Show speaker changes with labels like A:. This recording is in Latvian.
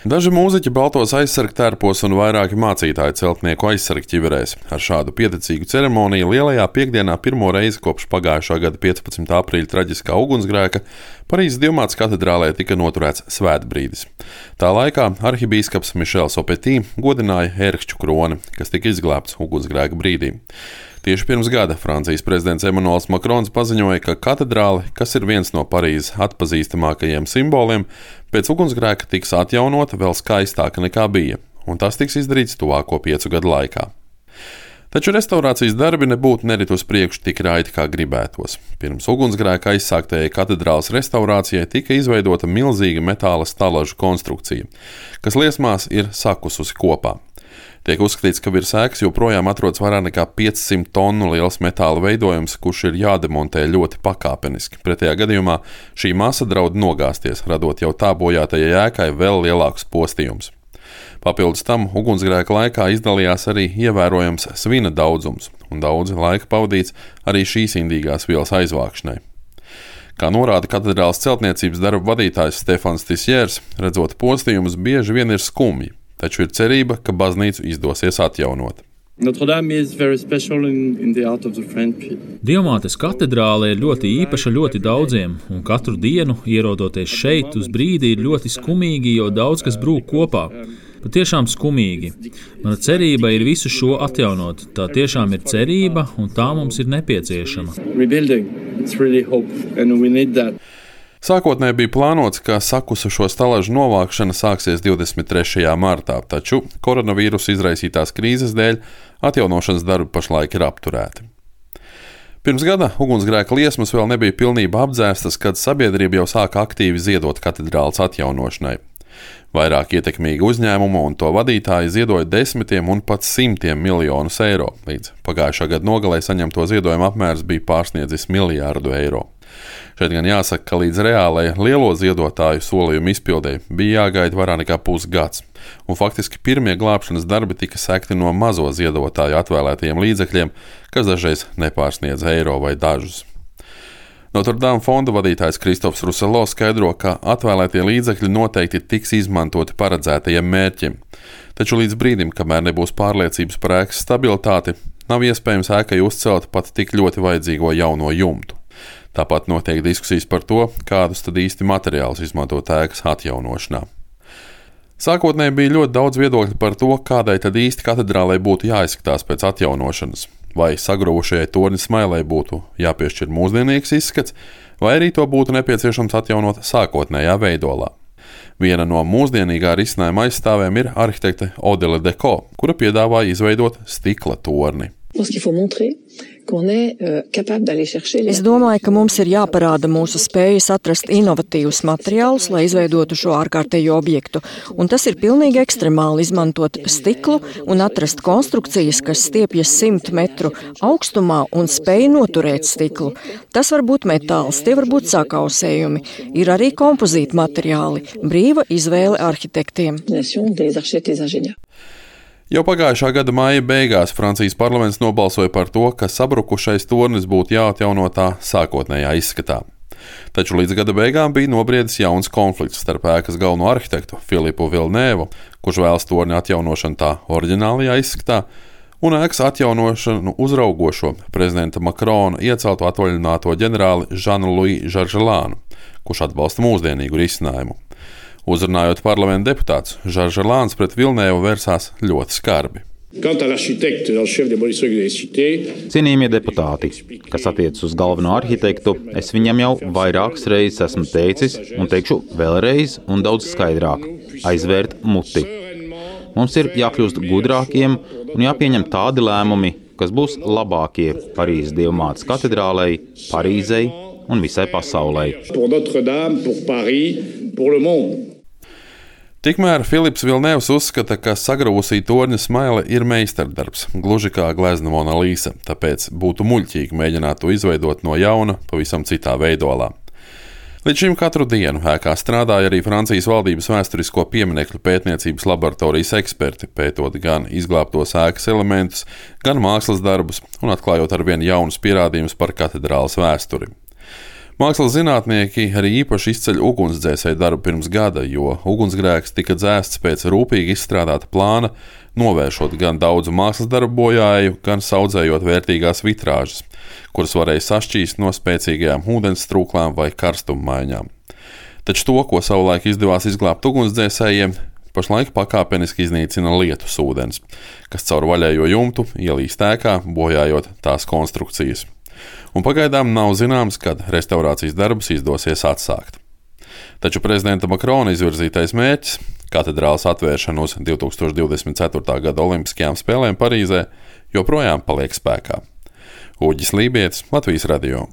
A: Daži mūziķi baltos aizsargtērpos un vairāki mācītāji celtnieku aizsargķiverēs. Ar šādu pieticīgu ceremoniju lielajā piekdienā pirmo reizi kopš pagājušā gada 15. aprīļa traģiskā ugunsgrēka Parīzes Dievmātes katedrālē tika noturēts svētbrīdis. Tā laikā arhibīskaps Mišels Opetī godināja ērkšķu kroni, kas tika izglābts ugunsgrēka brīdī. Tieši pirms gada Francijas prezidents Emmanuels Macrons paziņoja, ka katedrāle, kas ir viens no Parīzes atpazīstamākajiem simboliem, pēc ugunsgrēka tiks atjaunota vēl skaistāka nekā bija, un tas tiks izdarīts tuvāko 5 gadu laikā. Taču restaurācijas darbi nebūtu nerit uz priekšu tik raiti, kā gribētos. Pirms ugunsgrēka aizsāktajai katedrāles restaurācijai tika izveidota milzīga metāla stalažu konstrukcija, kas liesmās ir sakususi kopā. Tiek uzskatīts, ka virs ēkas joprojām atrodas vairāk nekā 500 tonu liels metāla veidojums, kurš ir jādemontē ļoti pakāpeniski. Pretējā gadījumā šī masa draud nogāzties, radot jau tā bojātajai ēkai vēl lielākus postījumus. Papildus tam ugunsgrēka laikā izdalījās arī ievērojams svina daudzums, un daudz laika pavadīts arī šīs indīgās vielas aizvākšanai. Kā norāda katedrāles celtniecības darba vadītājs Stefans Tisjērs, redzot postījumus bieži vien ir skumji. Taču ir cerība, ka baznīcu izdosies atjaunot.
B: Dievmātes katedrāle ir ļoti īpaša ļoti daudziem, un katru dienu, ierodoties šeit, uz brīdi ir ļoti skumīgi, jo daudz kas brūk kopā. Patiešām skumīgi. Mana cerība ir visu šo atjaunot. Tā tiešām ir cerība, un tā mums ir nepieciešama.
A: Sākotnēji bija plānots, ka sakusušo stalažu novākšana sāksies 23. martā, taču koronavīrusa izraisītās krīzes dēļ atjaunošanas darbi pašlaik ir apturēti. Pirms gada ugunsgrēka liesmas vēl nebija pilnībā apdzēstas, kad sabiedrība jau sāka aktīvi ziedot katedrāles atjaunošanai. Vairāk ietekmīgi uzņēmumu un to vadītāji ziedoja desmitiem un pat simtiem miljonus eiro. Līdz pagājušā gada nogalē saņemto ziedojumu apmērs bija pārsniedzis $1 miljārdu. Šeit gan jāsaka, ka līdz reālajai lielo ziedotāju solījumu izpildēji bija jāgaida vairāk nekā pusgads, un faktiski pirmie glābšanas darbi tika sekti no mazo ziedotāju atvēlētajiem līdzekļiem, kas dažreiz nepārsniedz eiro vai dažus. Notre Dame fonda vadītājs Kristofs Ruselo skaidro, ka atvēlētie līdzekļi noteikti tiks izmantoti paredzētajiem mērķiem, taču līdz brīdim, kamēr nebūs pārliecības par ēkas stabilitāti, nav iespējams ēkai uzcelt pat tik ļoti vajadzīgo jauno jumtu. Tāpat notiek diskusijas par to, kādus tad īsti materiālus izmantot ēkas atjaunošanā. Sākotnēji bija ļoti daudz viedokļu par to, kādai tad īsti katedrālei būtu jāizskatās pēc atjaunošanas. Vai sagrovušajai torņa smailei būtu jāpiešķir mūsdienīgs izskats, vai arī to būtu nepieciešams atjaunot sākotnējā veidolā. Viena no mūsdienīgā risinājuma aizstāvēm ir arhitekte Odile Deko, kura piedāvāja izveidot stikla torni.
C: Es domāju, ka mums ir jāparāda mūsu spējas atrast inovatīvus materiālus, lai izveidotu šo ārkārtējo objektu. Un tas ir pilnīgi ekstremāli izmantot stiklu un atrast konstrukcijas, kas stiepjas 100 metru augstumā un spēj noturēt stiklu. Tas var būt metāls, tie var būt sakausējumi. Ir arī kompozīti materiāli, brīva izvēle arhitektiem.
A: Jau pagājušā gada maija beigās Francijas parlaments nobalsoja par to, ka sabrukušais tornis būtu jāatjauno tā sākotnējā izskatā. Taču līdz gada beigām bija nobriedis jauns konflikts starp ēkas galveno arhitektu Filipu Vilnēvu, kurš vēlas torni atjaunošanu tā oriģinālajā izskatā, un ēkas atjaunošanu uzraugošo prezidenta Macrona iecelto atvaļināto ģenerāli Žanu-Luī Žarželānu, kurš atbalsta mūsdienīgu risinājumu. Uzrunājot parlamenta deputātus, Žarželāns pret Vilnēvu vērsās ļoti skarbi.
D: Cienījamie deputāti, kas attiecas uz galveno arhitektu, es viņam jau vairākas reizes esmu teicis un teikšu vēlreiz un daudz skaidrāk – aizvērt muti. Mums ir jākļūst gudrākiem un jāpieņem tādi lēmumi, kas būs labākie Parīzes Dievmātes katedrālei, Parīzei un visai pasaulei.
A: Tikmēr Filips Vilnēvs uzskata, ka sagruvusī torņa smaile ir meistardarbs, gluži kā glezna Mona Lisa, tāpēc būtu muļķīgi mēģināt to izveidot no jauna, pavisam citā veidolā. Līdz šim katru dienu ēkā strādāja arī Francijas valdības vēsturisko pieminekļu pētniecības laboratorijas eksperti, pētot gan izglābtos ēkas elementus, gan mākslas darbus un atklājot arvien jaunus pierādījumus par katedrāles vēsturi. Mākslas zinātnieki arī īpaši izceļ ugunsdzēsēju darbu pirms gada, jo ugunsgrēks tika dzēsts pēc rūpīgi izstrādāta plāna, novēršot gan daudzu mākslas darbu bojāju, gan saudzējot vērtīgās vitrāžas, kuras varēja sašķīst no spēcīgajām ūdens strūklām vai karstummaiņām. Taču to, ko savulaik izdevās izglābt ugunsdzēsējiem, pašlaik pakāpeniski iznīcina lietus ūdens, kas caur vaļējo jumtu ielīst ēkā, bojājot tās konstrukcijas. Un pagaidām nav zināms, kad restaurācijas darbus izdosies atsākt. Taču prezidenta Makrona izvirzītais mērķis – katedrāles atvēršana uz 2024. gada Olimpiskajām spēlēm Parīzē joprojām paliek spēkā. Uģis Lībietis, Latvijas radio.